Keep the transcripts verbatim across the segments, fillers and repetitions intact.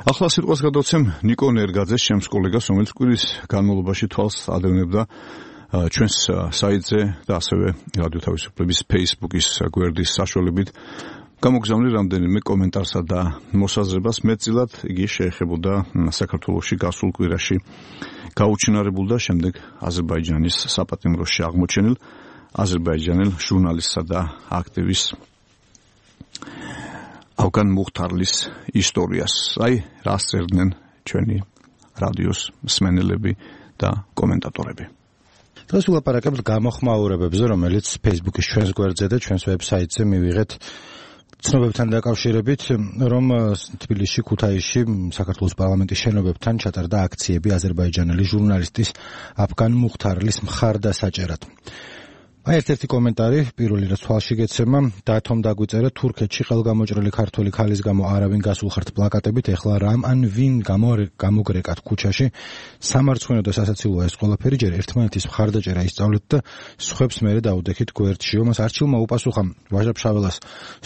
ახლა სიტყვას გადავცემ ნიკო ნერგაძეს, ჩემს კოლეგას, რომელიც კვირის განმავლობაში თვალს ადევნებდა ჩვენს საიტზე და ასევე რადიო თავისუფლების Facebook-ის გვერდის საშუალებით გამოგზავნილი რამდენიმე კომენტარსა და მოსაზრებას. მეტწილად იგი შეეხებოდა საქართველოში გასულ კვირაში გაუჩინარებულ და შემდეგ აზერბაიჯანის საპატიმროში აღმოჩენილ აზერბაიჯანელ ჟურნალისტსა და აქტივისტ ავგან მუხთარლის ისტორიას. აი, რას წერდნენ ჩვენი რადიოს მსმენელები და კომენტატორები. დღეს ვილაპარაკებთ გამოხმაურებებზე, რომელიც Facebook-ის ჩვენს გვერდზე და ჩვენს ვებსაიტზე მივიღეთ ცნობებთან დაკავშირებით, რომ თბილისში, ქუთაისში, საქართველოს პარლამენტის შენობებთან ჩატარდა აქციები აზერბაიჯანელი ჟურნალისტის ავგან მუხთარლის მხარდასაჭერად. აი ერთ-ერთი კომენტარი, პირველი რაც თვალში გეცემა, დათომ დაგვიწერა თურქეთში ხელგამოჭრილი ქართველი ქალის გამო არავინ გასულხართ პლაკატებით, ეხლა რამ ან ვინ გამოგრეკათ ქუჩაში, სამარცხვინო და სასაცილოა ეს ყველაფერი, ჯერ ერთმანეთის მხარდაჭერა ისწავლეთ და სხვებს მერე დაუდექით გვერდში. ომას არჩილმა უპასუხა ვაჟა-ფშაველას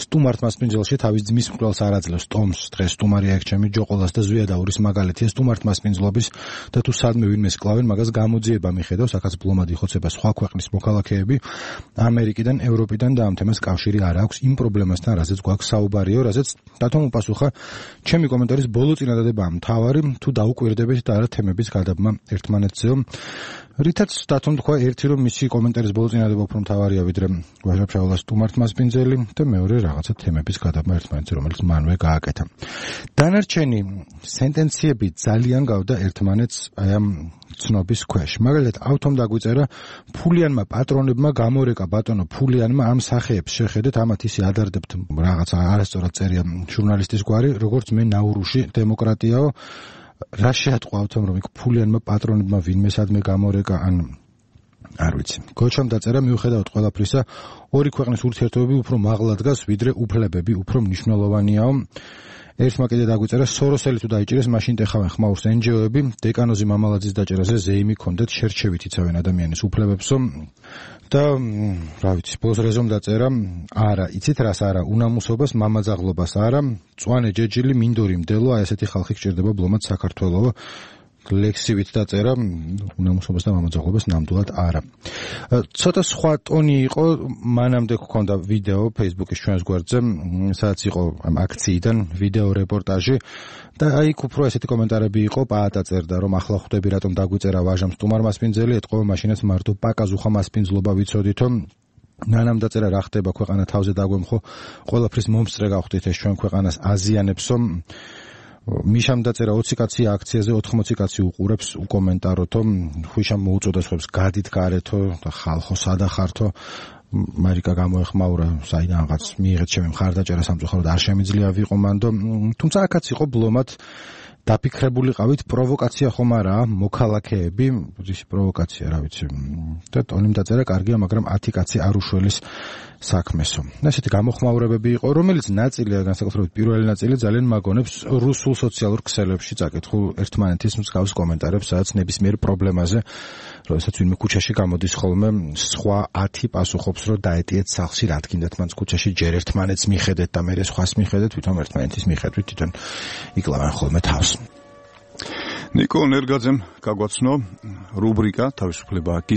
სტუმართ მასპინძელში თავის ძმის მკვლელს არ აძლევს ტომს, დღეს სტუმარი აქ ჩემი ჯოყოლას და ზვიადაურის მაგალითია სტუმართ მასპინძლობის და თუ სადმე ვინმე სკლავენ, მაგას გამოძიება მიხედავს, აქაც ბლომად იხოცება სხვა ქვეყნის მოქალაქეები. ამერიკიდან, ევროპიდან და ამ თემას კავშირი არ აქვს იმ პრობლემასთან, რაზეც გვაქვს საუბარიო, რაზეც დათომ უპასუხა, ჩემი კომენტარის ბოლო წინადადებაა მთავარი, თუ დაუკვირდებით და არა თემების გადაბმა ერთმანეთზეო. რითაც დათომ თქვა, ერთი რომ მისი კომენტარის ბოლო წინადადება უფრო მთავარია, ვიდრე ვაჟა-ფშაველას სტუმართ მასპინძელი და მეორე რაღაცა თემების გადაბმა ერთმანეთზე, რომელიც მანვე გააკეთა. დანარჩენი სენტენციები ძალიან გავდა ერთმანეთს აი ამ ცნობის ქვეშ. მაგალითად, ავთომ დაგვიწერა ფულიანმა პატრონებმა გამორეკა ბატონო ფულიანმა ამ სახეებს შეხედეთ, ამათ ისე ადარდებთ რაღაცა არასწორად წერია ჟურნალისტის გვარი, როგორც მე ნაურუში დემოკრატიაო. რა შეატყვა ავთომ რომ იქ ფულიანმა პატრონებმა ვინმე სადმე გამორეკა ან არ ვიცი. გოჩამ დაწერა მიუხედავად ყველაფრისა, ორი ქვეყნის ურთიერთობები უფრო მაღლა დგას, ვიდრე უფლებები უფრო მნიშვნელოვანიაო. ერთმა კიდე დაგვიწერა სოროსელი თუ დაიჭირეს, მაშინ ტეხავენ ხმაურს ენჯიოები, დეკანოზი მამალაძის დაჭერაზე ზეიმი ქონდეთ, შერჩევით იცავენ ადამიანის უფლებებსო და რა ვიცი, ბოლოს რეზომ დაწერა, არა, იცით რას არა, უნამუსობას, მამაძაღლობას არა, მწვანე ჯეჯილი, მინდორი მდელო, აი ესეთი ხალხი გჭირდება ბლომად საქართველო. ლექსივით დაწერა, უნამუსობას და მამაძაღლობას ნამდვილად არა. ცოტა სხვა ტონი იყო, მანამდე გქონდა ვიდეო Facebook-ის ჩვენს გვერდზე, სადაც იყო ამ აქციიდან ვიდეო რეპორტაჟი და აი იქ უფრო ესეთი კომენტარები იყო, პაატა წერდა, რომ ახლა ხვდები რატომ დაგვიწერა ვაჟამ სტუმარ მასპინძელი, ეთყობა მაშინაც მარტო პაკაზუხა მასპინძლობა ვიცოდითო. ნანამ დაწერა რა ხდება ქვეყანა თავზე დაგვემხო, ყველაფრის მომსწრე გავხდით ეს ჩვენ ქვეყანას აზიანებსო. მიშამ დაწერა ოცი კაცი აქციაზე ოთხმოცი კაცი უყურებს უკომენტაროთო, ხუშამ მოუწოდა სხვებს გადით გარეთო და ხალხო სადახართო. მარიკა გამოეხმაურა საიდანღაც მიიღეთ ჩემი მხარდაჭერა სამწუხაროდ არ შემიძლია ვიყო მანდო, თუმცა აქაც იყო ბლომად დაფიქრებულიყავით, პროვოკაცია ხომ არაა, მოქალაქეები, ისი პროვოკაცია, რა ვიცი. და ტონიმ დაწერა კარგია, მაგრამ ათი კაცი არ უშველის საქმესო. ესეთი გამოხმაურებები იყო, რომელიც ნაწილია, განსაკუთრებით პირველი ნაწილი ძალიან მაგონებს რუსულ სოციალურ ქსელებში წაკითხულ ერთმანეთის მსგავს კომენტარებს, სადაც ნებისმიერ პრობლემაზე, როდესაც ვინმე ქუჩაში გამოდის ხოლმე, სხვა ათი პასუხობს, რომ დაეტიეთ სახლში, რა თქინდათ მანც ქუჩაში ჯერ ერთმანეთს მიხედეთ და მერე სხვას მიხედეთ, თვითონ ერთმანეთის მიხედვით, თვითონ იკლავენ ხოლმე თავს. ნიკო ნერგაძემ გაგვაცნო რუბრიკა თავისუფლება აქ ის